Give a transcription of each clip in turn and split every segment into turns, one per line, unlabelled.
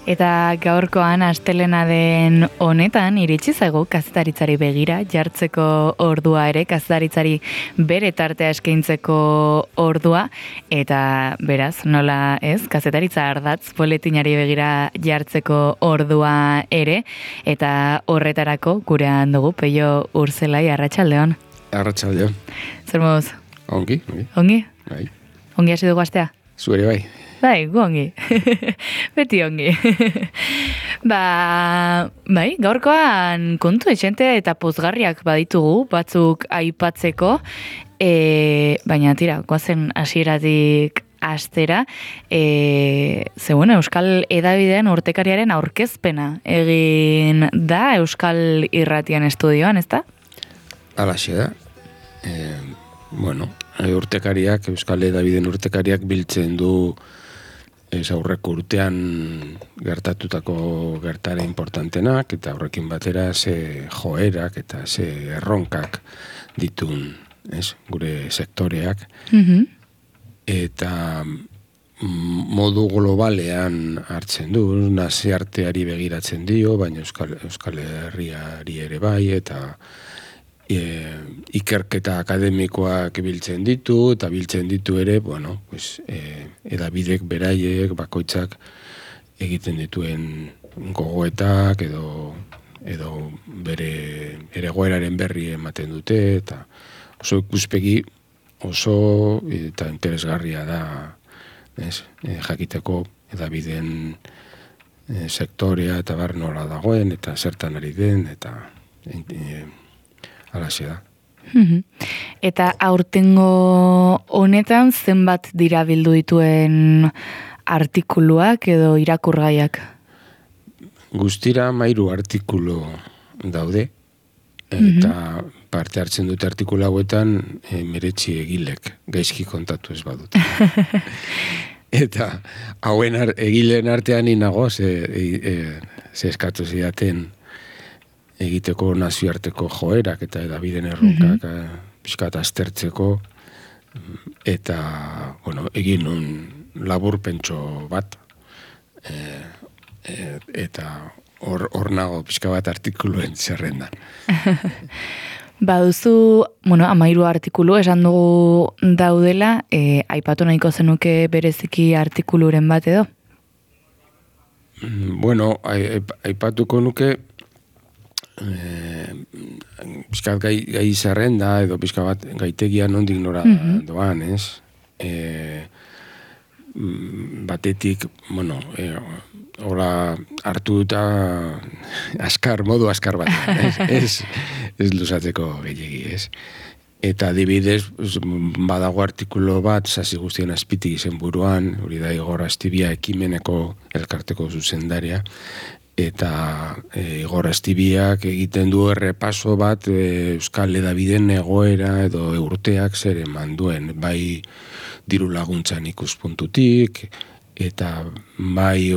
Eta gaurkoan astelena den honetan iritsi zaigu kazetaritzari begira jartzeko ordua ere, kazetaritzari bere tartea eskaintzeko ordua, eta beraz, nola ez, kazetaritza ardatz boletinari begira jartzeko ordua ere, eta horretarako gurean dugu Peio Urzelai, arratsaldeon.
Arratsaldeon.
Zer moduz?
Ongi.
Ongi?
Bai.
Ongi hasi dugu astea?
Zuere bai.
Bai, gu ongi. Beti ongi. Bai, gaurkoan kontu etxente eta pozgarriak baditugu, batzuk aipatzeko, baina tira, goazen hasieratik astera, Euskal Hedabidean urtekariaren aurkezpena egin da Euskal Irratian estudioan, ezta?
Alaxe da. Urtekariak, Euskal Hedabideen urtekariak biltzen du aurreko urtean gertatutako gertare importantenak, eta horrekin batera ze joerak eta ze erronkak ditun, gure sektoreak. Eta modu globalean hartzen du, nazioarteari begiratzen dio, baina Euskal Herriari ere bai, eta ikerketa akademikoak biltzen ditu, eta biltzen ditu ere, edabidek beraiek, bakoitzak egiten dituen gogoetak edo bere egoeraren berri ematen dute, eta oso ikuspegi oso eta interesgarria da, jakiteko edabideen sektorea eta bar nola dagoen, eta zertan ari den, eta alaxe da.
Eta aurtengo honetan zenbat dira bildu dituen artikuluak edo irakurgaiak?
Guztira 13 artikulu daude, eta parte hartzen dute artikulu hauetan meretzi egilek, gaizki kontatu ez badut. Eta hauen egileen artean inago, ze eskatu zidaten egiteko nazioarteko joerak eta edabideen erronkak pixkat aztertzeko, eta egin un laburpentxo bat, eta hor nago pixka bat artikuluen zerrendan.
Baduzu, 13 artikulu esan dugu daudela, aipatu nahiko zenuke bereziki artikuluren bat edo?
Aipatuko nuke pixkat gai zerrenda edo pixka bat gaitegia nondik nora doan, ez? Batetik, hola hartu eta modu askar bat, ez luzatzeko gehiagi, ez? Eta adibidez, badago artikulu bat, sasi guztien azpitik izen buruan, hori da Igor Astibia ekimeneko elkarteko zuzendaria, eta Igor Astibiak egiten du errepaso bat Euskal Hedabideen egoera edo urteak zer eman duen, bai diru laguntzan ikuspuntutik, eta bai,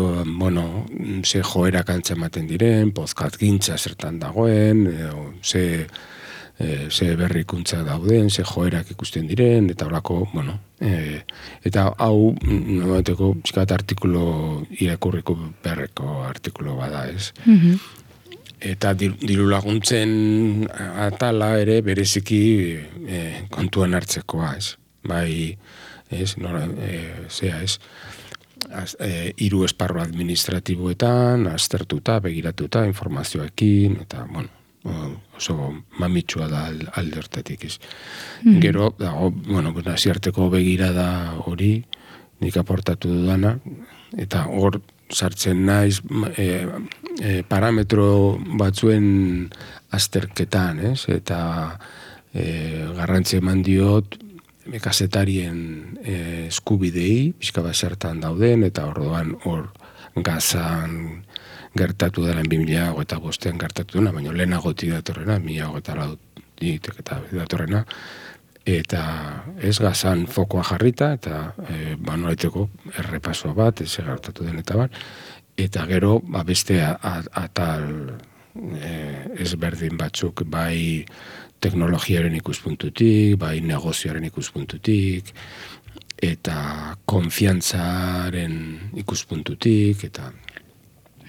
ze joerak antzematen diren, pozkatgintza zertan dagoen, ze berrikuntza dauden, ze joerak ikusten diren, eta horako, eta hau, nomateko, pixkat artikulu irakurriko berreko artikulu bada, ez? Eta diru laguntzen atala ere bereziki kontuan hartzekoa, ez? Bai, ez? Hiru esparru administratiboetan, aztertuta, begiratuta, informazioekin, eta, oso mamitsua da alde hortatik, ez. Gero, nazioarteko begirada hori, nik aportatu dudana, eta hor sartzen naiz parametro batzuen azterketan, ez, eta garrantzi eman diot kazetarien eskubidei, pixka bat zertan dauden, eta orduan hor Gazan gertatu dela 2005 gertatu dena, baina lehenagotik datorrena, 2004 eta datorrena, eta ez Gazan fokoa jarrita, eta nolaiteko errepaso bat, ez gertatu den eta bat, eta gero beste atal ezberdin batzuk, bai teknologiaren ikuspuntutik, bai negozioaren ikuspuntutik, eta konfiantzaren ikuspuntutik, eta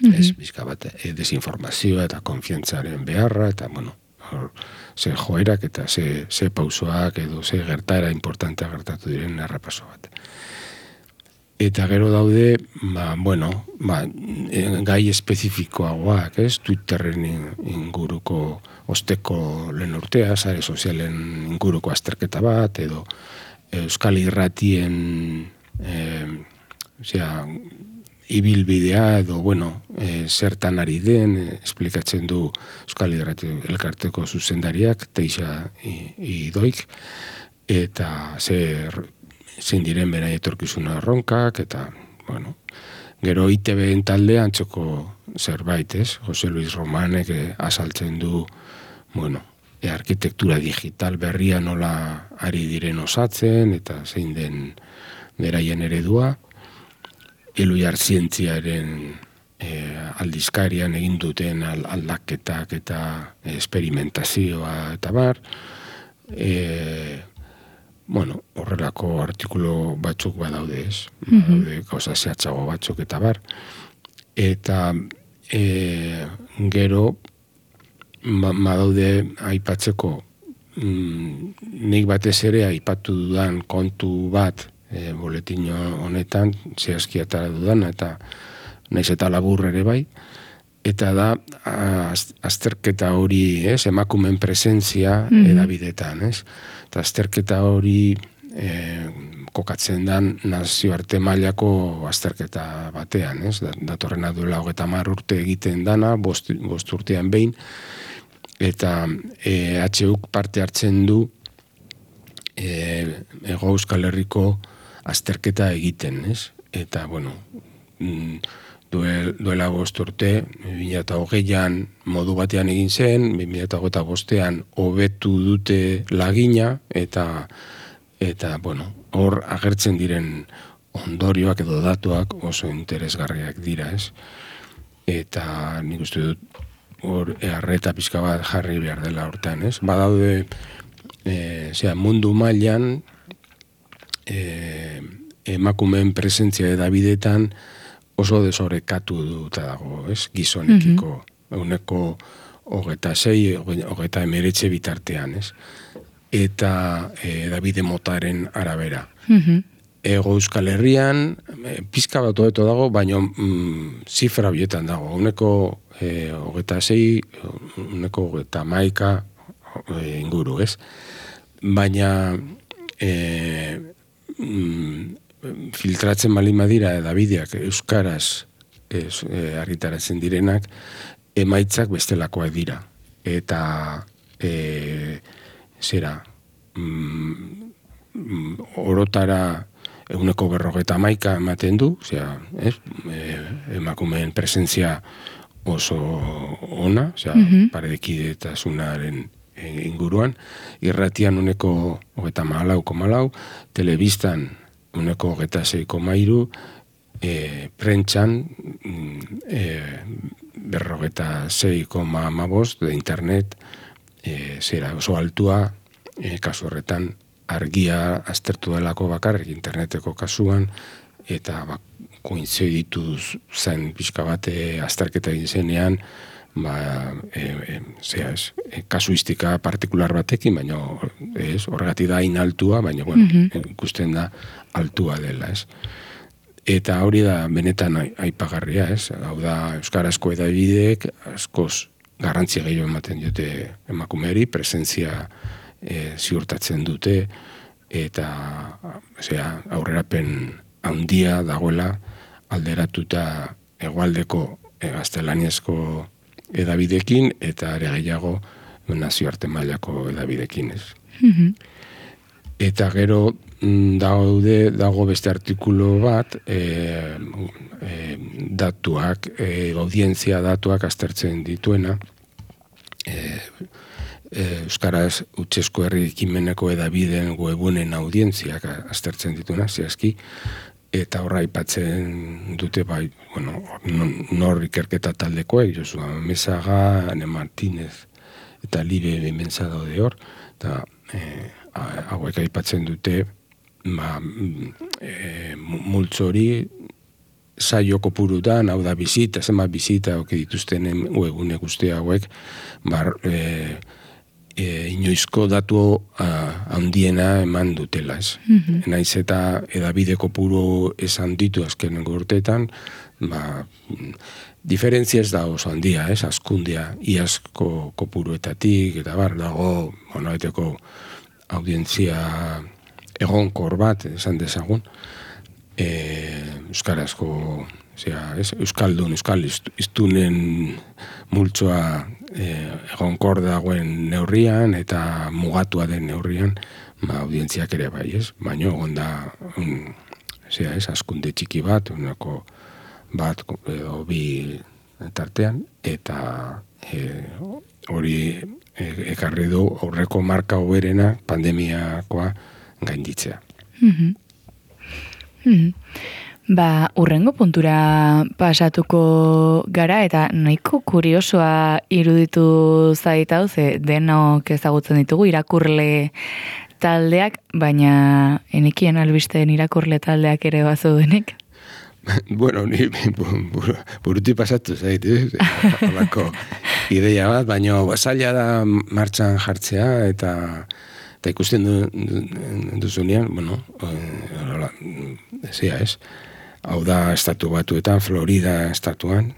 Ez, bizka bat, desinformazioa eta konfiantzaren beharra, eta, bueno, ze joerak eta ze pausoak edo ze gertaera importantea gertatu diren errepaso bat. Eta gero daude, gai espezifikoagoak, ez? Twitterren inguruko osteko lehen urtea, sare sozialen inguruko azterketa bat, edo Euskal Irratien ibilbidea edo, zertan ari den, esplikatzen du Euskal Irrati elkarteko zuzendariak, Teixa Idoik, eta zein diren bera etorkizuna erronkak, eta, gero ITB-en talde antzoko zerbait, ez? Jose Luis Romanek azaltzen du, arkitektura digital berria nola ari diren osatzen, eta zein den beraien eredua, Eluiar zientziaren aldizkarian egin duten aldaketak eta esperimentazioa eta bar, horrelako artikulu batzuk badaude, ez? Badaude gauza zehatzago batzuk eta bar. Eta gero badaude aipatzeko nik batez ere aipatu dudan kontu bat boletin honetan zehazki atara dudan, eta naiz eta labur ere bai, eta da azterketa hori, ez, emakumeen presentzia edabidetan, ez? Eta azterketa hori kokatzen dan nazioarte mailako azterketa batean, ez? Datorrena duela 30 urte egiten dana, 5 urtean behin, eta HUk parte hartzen du Hego Euskal Herriko azterketa egiten, ez? Eta, duela 5 urte, 2020an modu batean egin zen, 2025an hobetu dute lagina, eta hor agertzen diren ondorioak edo datuak oso interesgarriak dira, ez? Eta nik uste dut hor arreta pixka bat jarri behar dela hortan, ez? Badaude mundu mailan emakumeen presentzia edabidetan oso desorekatu duta dago, ez? Gizonekiko, 26, 29 bitartean, ez? Eta edabide motaren arabera. Hego Euskal Herrian, pizka bat hobeto dago, baina zifra bietan dago. 26, 31 inguru, ez? Baina filtratzen baldin badira edabideak euskaraz argitaratzen direnak, emaitzak bestelakoak dira. Eta orotara 51 ematen du, emakumeen presentzia oso ona, paredekidetasunaren inguruan, irratian 34,4, telebistan 26,3, prentxan 46,5 de internet, oso altua, kasu horretan argia aztertu delako bakarrik interneteko kasuan, eta koinziditu zen pixka bate azterketa egin zenean, kasuistika partikular batekin, baina horregatik da inaltua, baina ikusten da altua dela, ez? Eta hori da benetan aipagarria, ez? Hau da, euskarazko edabideek askoz garrantzia gehiago ematen dute emakumeari, presentzia ziurtatzen dute, eta aurrerapen handia dagoela alderatuta hegoaldeko gaztelaniazko edabidekin, eta ere gehiago nazioarte mailako edabidekin, ez. Eta gero dago beste artikulu bat, datuak, audientzia datuak aztertzen dituena, euskaraz hutsezko herri ekimeneko edabideen webunen audientziak aztertzen dituena, zehazki, eta horra aipatzen dute nor ikerketa taldekoek, Josua Mesaga, Ane Martínez eta Libe Bimensa daude hor, eta hauek aipatzen dute multzo hori saio kopurutan, hau da zenbat bizita oke dituztenen webgune guzti hauek, inoizko datu handiena eman dutela, ez. Naiz eta edabide kopuru esan ditu azkenengo urteetan, diferentzia ez da oso handia, ez, askundia, iazko kopuruetatik, eta dago, nolabaiteko audientzia egonkor bat, esan dezagun, euskarazko, euskaldun, euskal iztunen multzoa egonkor dagoen neurrian, eta mugatua den neurrian, audientziak ere bai, ez? Baina onda, askunde txiki bat, unako bat edo bi tartean, eta hori ekarri du aurreko marka hoberena pandemiakoa gainditzea.
Urrengo puntura pasatuko gara, eta nahiko kuriosoa iruditu zaitau, ze denok ezagutzen ditugu irakurle taldeak, baina enekien albisteen irakurle taldeak ere bazudenik.
Bueno, ni buruti pasatu zait, holako ideia bat, baina zaila da martxan jartzea, eta ikusten duzunean, ez, hau da estatu batuetan, Florida estatuan,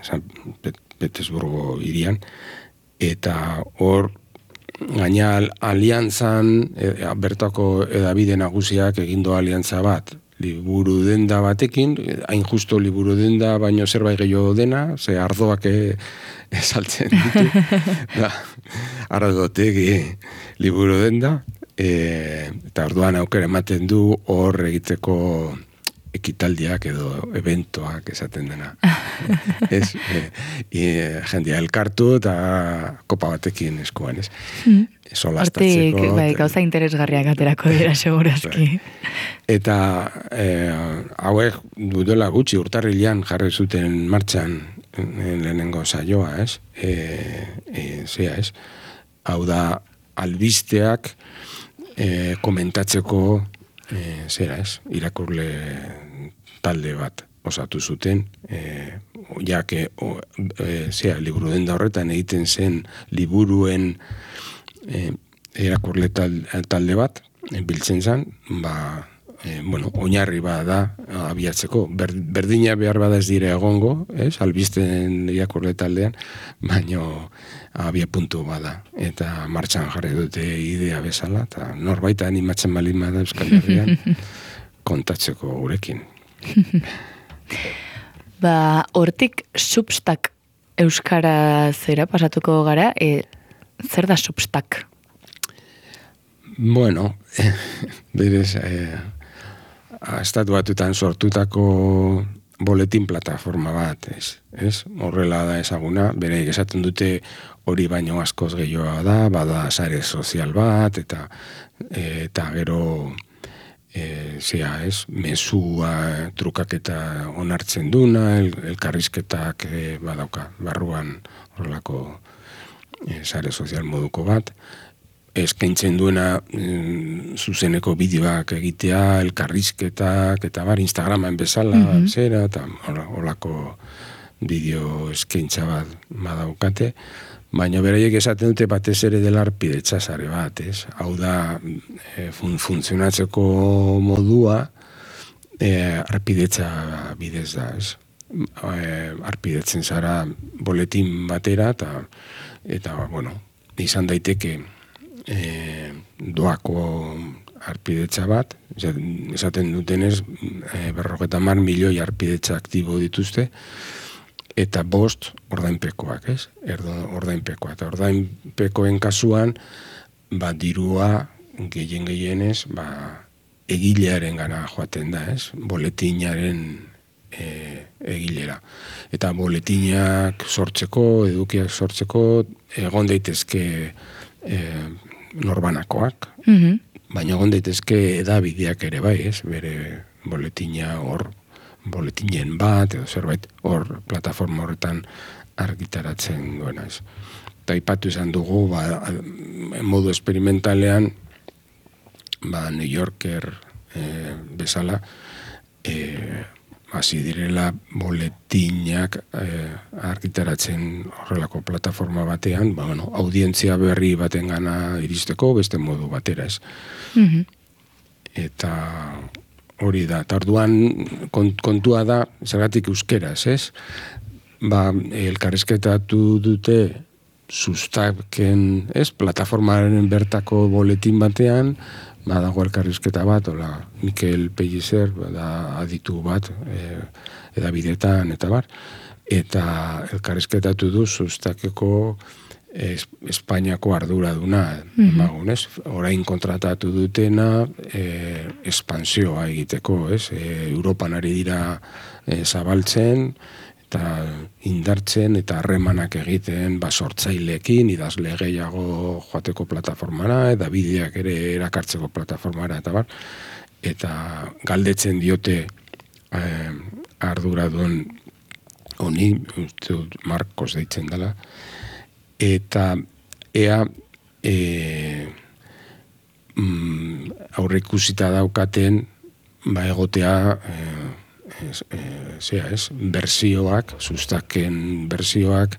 San Petersburgo hirian, eta hor, gaina aliantzan, bertako edabide nagusiak egindo aliantza bat, liburu denda batekin, hain justo liburu denda, baino zerbait gehiago dena, ze ardoak saltzen ditu, ardotegi liburu denda, eta orduan aukera ematen du hor egiteko ekitaldiak edo eventoak esaten dena. Jendea elkartu eta kopa batekin eskuan, ez?
Hortik, gauza interesgarriak aterako dira, segurazki.
Eta hauek dudela gutxi urtarrilean jarri zuten martxan lehenengo saioa, ez? Ez? Hau da, albisteak komentatzeko irakurle talde bat osatu zuten, liburu denda horretan egiten zen liburuen irakurle talde bat, biltzen zen, oinarri bada abiatzeko. Berdina behar bada ez dire egongo, albisten irakurle taldean, baino abia puntu bada. Eta martxan jarri dute idea bezala, eta norbait animatzen balin bada Euskal Herrian kontatzeko gurekin.
Hortik Substack euskara zera pasatuko gara, zer da Substack?
Bueno, berez, estatu batutan sortutako boletin plataforma bat, ez? Horrela da ezaguna, bere esaten dute hori baino askoz gehiagoa da, bada sare sozial bat, eta gero mesua trukaketa onartzen duna, elkarrizketak badauka, barruan horrelako sare sozial moduko bat, eskaintzen duena zuzeneko bideoak egitea, elkarrizketak, eta Instagraman bezala, zera, eta horrelako bideo eskaintza bat badaukate, baina beraiek esaten dute batez ere dela arpidetza sare bat, ez? Hau da, funtzionatzeko modua arpidetza bidez da, ez? Arpidetzen zara boletin batera, eta izan daiteke doako arpidetza bat, esaten dutenez 50 milioi arpidetza aktibo dituzte, eta 5 ordainpekoak, ez? Ordainpekoa. Eta ordainpekoen kasuan, dirua gehienez, egilearen gana joaten da, ez? Boletinaren egilera. Eta boletinak sortzeko, edukiak sortzeko, egon daitezke norbanakoak, baina egon daitezke edabideak ere bai, ez? Bere boletina boletinen bat, edo zerbait, hor plataforma horretan argitaratzen duena, ez. Eta aipatu izan dugu, modu esperimentalean, New Yorker bezala, hasi direla boletinak argitaratzen horrelako plataforma batean, audientzia berri baten gana iristeko beste modu batera, ez. Eta hori da, eta orduan kontua da, zergatik euskeraz, ez? Elkarrizketatu dute sustaken, ez? Plataformaren bertako boletin batean, dago elkarrizketa bat, Mikel Pellicer, aditu bat, edabidetan, eta bar, eta elkarrizketatu du sustakeko Espainiako arduraduna, orain kontratatu dutena espansioa egiteko, ez? Europan ari dira zabaltzen, eta indartzen eta harremanak egiten sortzaileekin, idazle gehiago joateko plataformara, eta bideak ere erakartzeko plataformara, eta bar, eta galdetzen diote arduradun honi, uste dut Marcos deitzen dela, eta ea aurreikusita daukaten egotea bersioak, sustaken bersioak,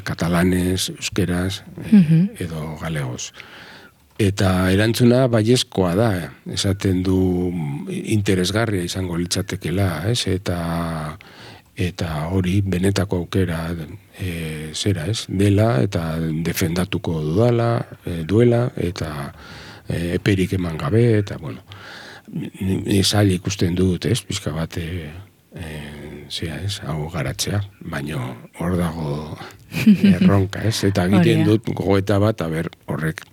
katalanez, euskeraz, edo galegoz. Eta erantzuna baiezkoa da, esaten du interesgarria izango litzatekela, ez? Eta hori benetako aukera dela, eta defendatuko duela, eta eperik eman gabe, eta bueno, zail ikusten dut, ez, pixka bat hau garatzea, baina hor dago erronka, ez, eta egiten dut gogoeta bat, horrek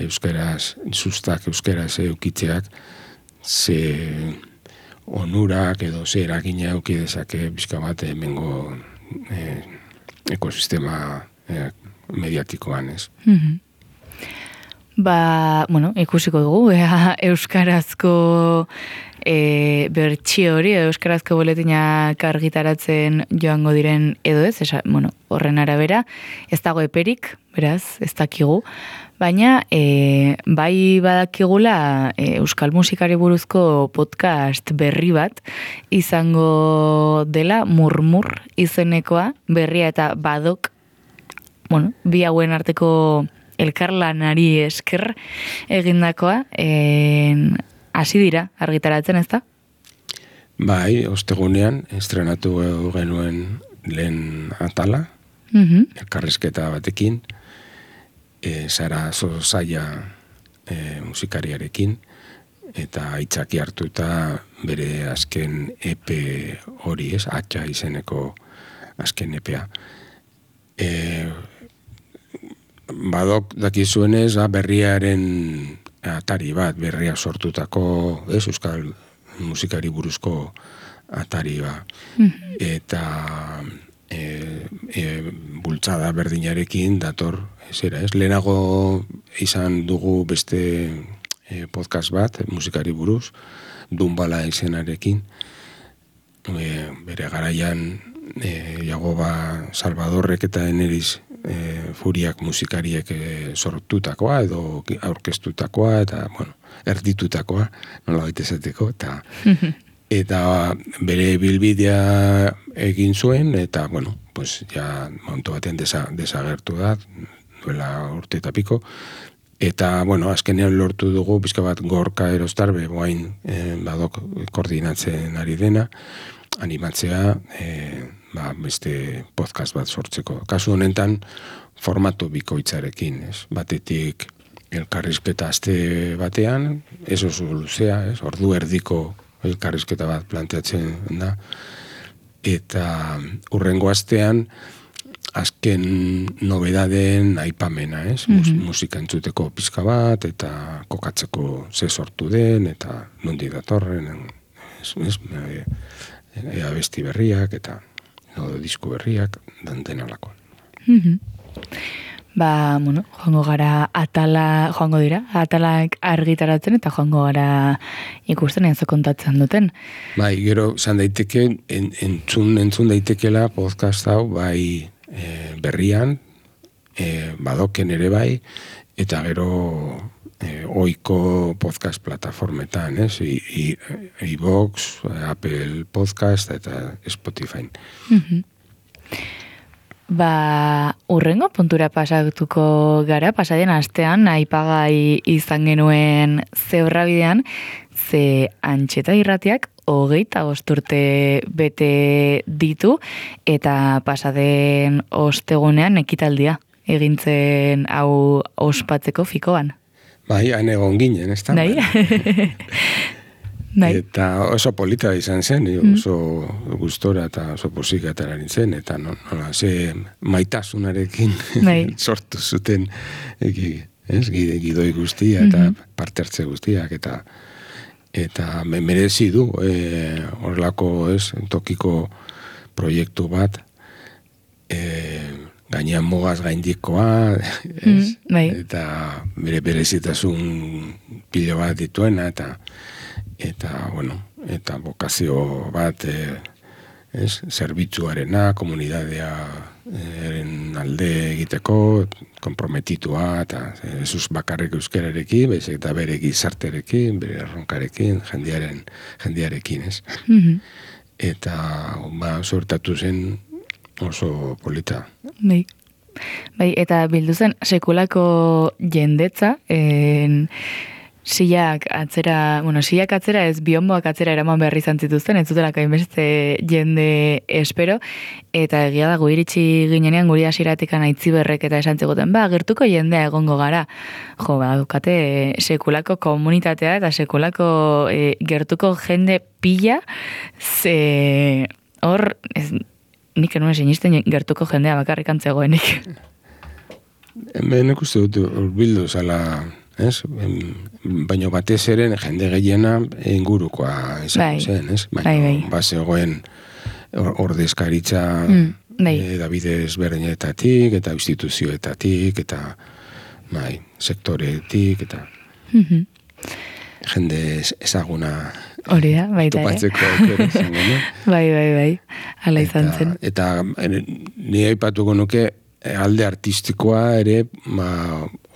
euskaraz, euskaraz eukitzeak, ze onurak edo ze eragina eukidezake pixka bat hemengo ekosistema mediatikoan, ez.
Ikusiko dugu, euskarazko bertsio hori, euskarazko boletinak argitaratzen joango diren edo ez, horren arabera, ez dago eperik, beraz, ez dakigu, baina bai badakigula euskal musikari buruzko podcast berri bat izango dela Murmur izenekoa, berria eta badok, bi hauen arteko elkarlanari esker egindakoa, hasi dira argitaratzen, ez da?
Bai, ostegunean estrenatu genuen lehen atala, elkarrizketa batekin, Sara Zozaia musikariarekin, eta aitzaki hartuta bere azken EP hori, ez, Atxa izeneko azken EPA. Badok dakizuenez, berriaren atari bat, berria sortutako, ez, euskal musikari buruzko atari bat. Eta bultzada berdinarekin dator, lehenago izan dugu beste podcast bat, musikari buruz, Dunbala izenarekin, bere garaian Jagoba Salvadorrek eta Eneriz Furiak musikariek sortutakoa edo aurkeztutakoa eta, erditutakoa, nola baitezateko, eta bere bilbidea egin zuen, eta, ja momentu batean desagertu da, duela urte eta piko, eta, azkenean lortu dugu, pizka bat Gorka Erostarbe, boain badok koordinatzen ari dena, animatzea, beste podcast bat sortzeko. Kasu honetan, formatu bikoitzarekin, ez? Batetik elkarrizketa aste batean, ez oso luzea, ez? Ordu erdiko elkarrizketa bat planteatzen da, eta hurrengo astean, azken nobedaden aipamena, ez? Musika entzuteko pizka bat, eta kokatzeko ze sortu den, eta nondi datorren, abesti berriak, eta disku berriak, danten alako.
Joango gara joango dira, atalak argitaratzen, eta joango gara ikusten ez kontatzen duten.
Bai, gero, zan daiteke, entzun daitekela podcast hau, bai berrian, badoken ere bai, eta gero oiko podcast plataformetan, ez? iVoox, Apple Podcast eta Spotify.
Urrengo puntura pasatuko gara, pasaden astean, aipagai izan genuen Zebrrabidean, ze Antxeta Irratiak 25 urte bete ditu, eta pasaden ostegunean ekitaldia egintzen hau ospatzeko fikoan.
Bai, han egon ginen, ez da?
Bai.
Eta oso polita izan zen, oso gustora eta oso posika atera nintzen, eta nola, ze maitasunarekin sortu zuten gidoi guztia eta parte hartze guztiak, eta merezi du horrelako tokiko proiektu bat, gainean mugaz gaindikoa, eta berezitasun pilo bat dituena, eta bokazio bat zerbitzuarena, komunidadearen alde egiteko, konprometitua, eta ez bakarrik euskararekin, baizik eta bere gizartearekin, bere erronkarekin, jendearekin, ez? Eta sortatu zen oso polita.
Bai, eta bildu zen sekulako jendetza, silak atzera ez, bionboak atzera eraman behar izan zituzten, ez zutelako hainbeste jende espero, eta egia da gu iritsi ginenean guri hasieratik Aitziberrek eta esan ziguten, gertuko jendea egongo gara. Dukate sekulako komunitatea eta sekulako gertuko jende pila, ze hor, nik enuen sinisten gertuko jendea bakarrik antzegoenik.
Hemen uste dut urbildu zala, baina batez ere jende gehiena ingurukoa izango zen, ez? Baina zegoen ordezkaritza Davide ezberdinetatik eta instituzioetatik eta sektoretik eta jende ezaguna
hori da, baita
topatzeko aukera izango, no?
Bai, hala izan zen.
Eta ni aipatuko nuke alde artistikoa ere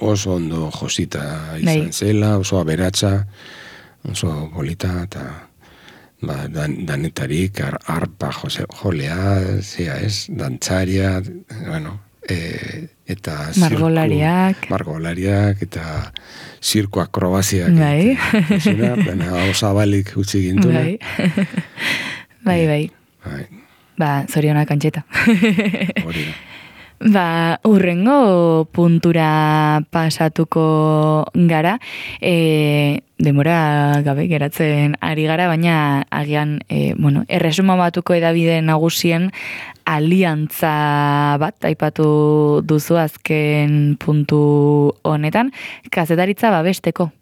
oso ondo josita izan zela, oso aberatsa, oso polita, eta danetarik, arpa jolea, dantzaria, eta margolariak, eta zirko akrobaziak. Osabalik utzi gintuna.
Bai. Zorionak Antxeta.
Hori da.
Urrengo puntura pasatuko gara, denbora gabe geratzen ari gara, baina agian, erresuma batuko edabide nagusien aliantza bat, aipatu duzu azken puntu honetan, kazetaritza babesteko.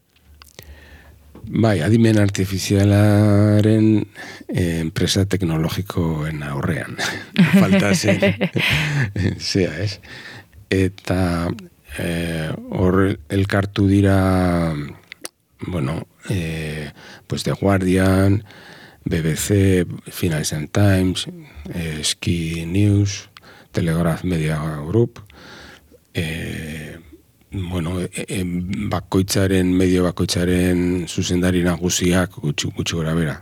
Bai, adimen artifizialaren enpresa teknologikoen aurrean. Falta zen. Zea, ez? Eta hor elkartu dira, The Guardian, BBC, Financial Times, Sky News, Telegraph Media Group, medio bakoitzaren zuzendari nagusiak gutxi gora bera.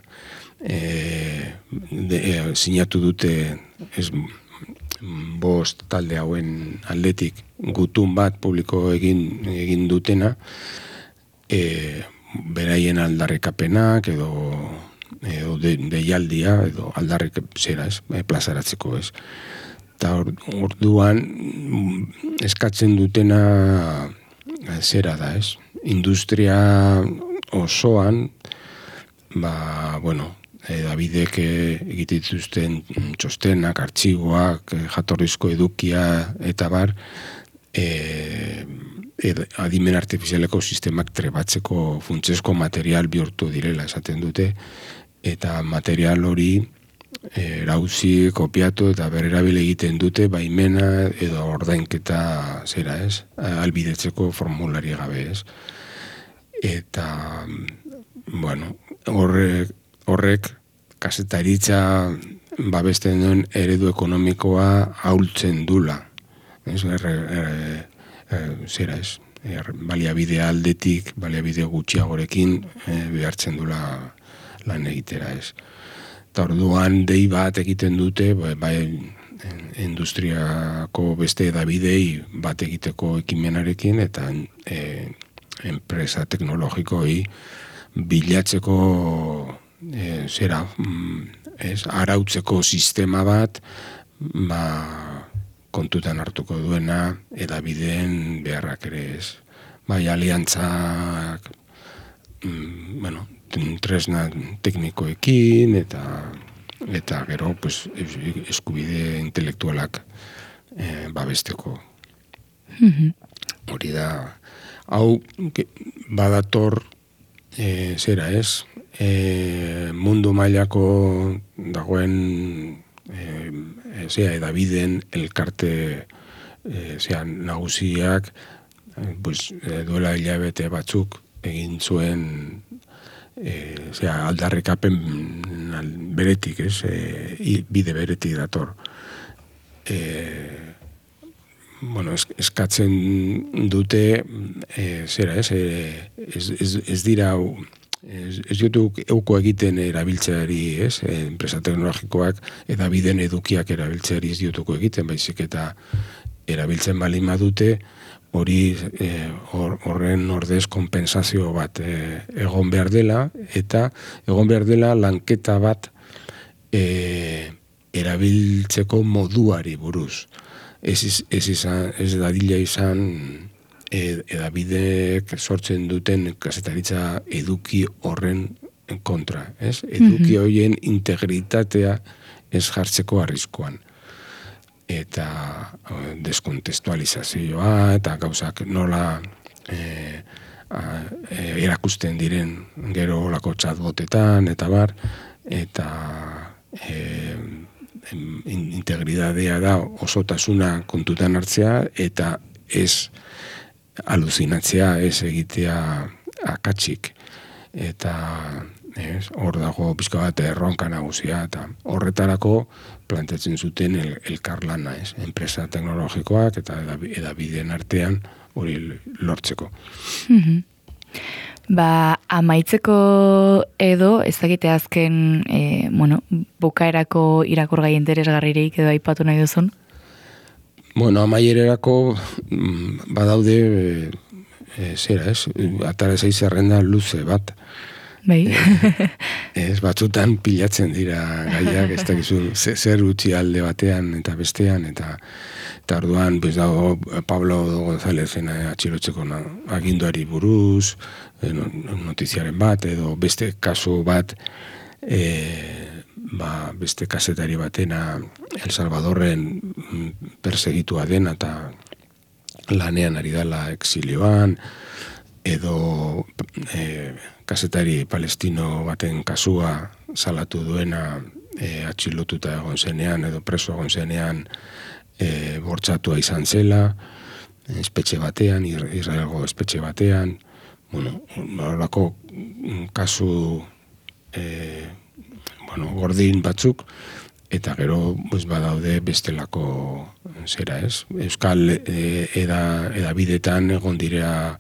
Sinatu dute 5 talde hauen aldetik gutun bat publiko egin dutena, beraien aldarrikapenak edo deialdia edo aldarrik plazaratzeko, ez. Eta orduan eskatzen dutena zera da, ez? Industria osoan, Davidek egitituzten txostenak, artxiboak, jatorrizko edukia eta bar, adimen artifizialeko sistemak trebatzeko funtsezko material bihurtu direla esaten dute, eta material hori erauzi, kopiatu eta berrerabil egiten dute baimena edo ordainketa zera, ez? Albidetzeko formulari gabe, ez? Eta, horrek kazetaritza babesten duen eredu ekonomikoa ahultzen dula. Zera, ez? baliabide aldetik, baliabide gutxiagorekin behartzen dula lan egitera, ez. Eta orduan dei bat egiten dute, bai industriako beste edabidei bat egiteko ekimenarekin, eta enpresa teknologikoi bilatzeko arautzeko sistema bat, kontutan hartuko duena edabideen beharrak ere ez. Bai, aliantzak, tresna teknikoekin eta gero pues, eskubide intelektualak babesteko. Hori da, hau badator zera ez, mundu mailako dagoen edabideen elkarte nagusiak duela hilabete batzuk egin zuen aldarrikapen beretik, bide beretik dator. Eskatzen dute ez dira ez dut euko egiten erabiltzeari, enpresa teknologikoak edabideen edukiak erabiltzeari ez diotuko egiten, baizik eta erabiltzen balin badute hori horren ordez konpensazio bat egon behar dela, eta egon behar dela lanketa bat erabiltzeko moduari buruz. Ez dadila izan edabideek sortzen duten kazetaritza eduki horren kontra. Eduki horien integritatea ez jartzeko arriskuan. Eta deskontestualizazioa eta gauzak nola erakusten diren gero olako chatbotetan eta bar, eta integridadea da osotasuna kontutan hartzea eta ez aluzinatzea, ez egitea akatsik. Eta hor dago pizka bat erronka nagusia, eta horretarako planteatzen zuten elkarlana, enpresa teknologikoak eta edabideen artean hori lortzeko.
Amaitzeko edo, ez dakite azken, bukaerako irakurgai interesgarririk edo aipatu nahi duzun?
Amaiererako badaude atara zaiz zerrenda luze bat.
Bai.
Batzutan pilatzen dira gaiak, ez dakizu zer utzi alde batean eta bestean, eta orduan dago Pablo Gonzalezen atxilotzeko aginduari buruz, notiziaren bat, edo beste kasu bat, beste kazetari batena El Salvadorren persegitua dena eta lanean ari dela exilioan, edo kazetari palestino baten kasua salatu duena atxilotuta egon zenean edo preso egon zenean bortxatua izan zela, espetxe batean, Israelgo espetxe batean, horrelako kasu gordin batzuk, eta gero badaude bestelako zera ez. Euskal edabidetan egon direa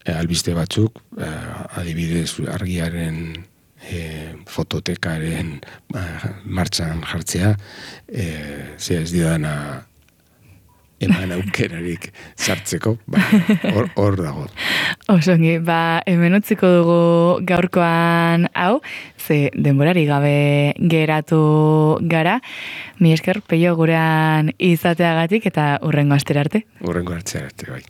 albiste batzuk, adibidez argiaren fototekaren martxan jartzea, ez didana eman aukerarik sartzeko, hor dago.
Osongi, hemen utziko dugu gaurkoan hau, ze denborari gabe geratu gara. Mi esker, Peio, gurean izateagatik eta hurrengo astera arte.
Hurrengo astera arte, bai.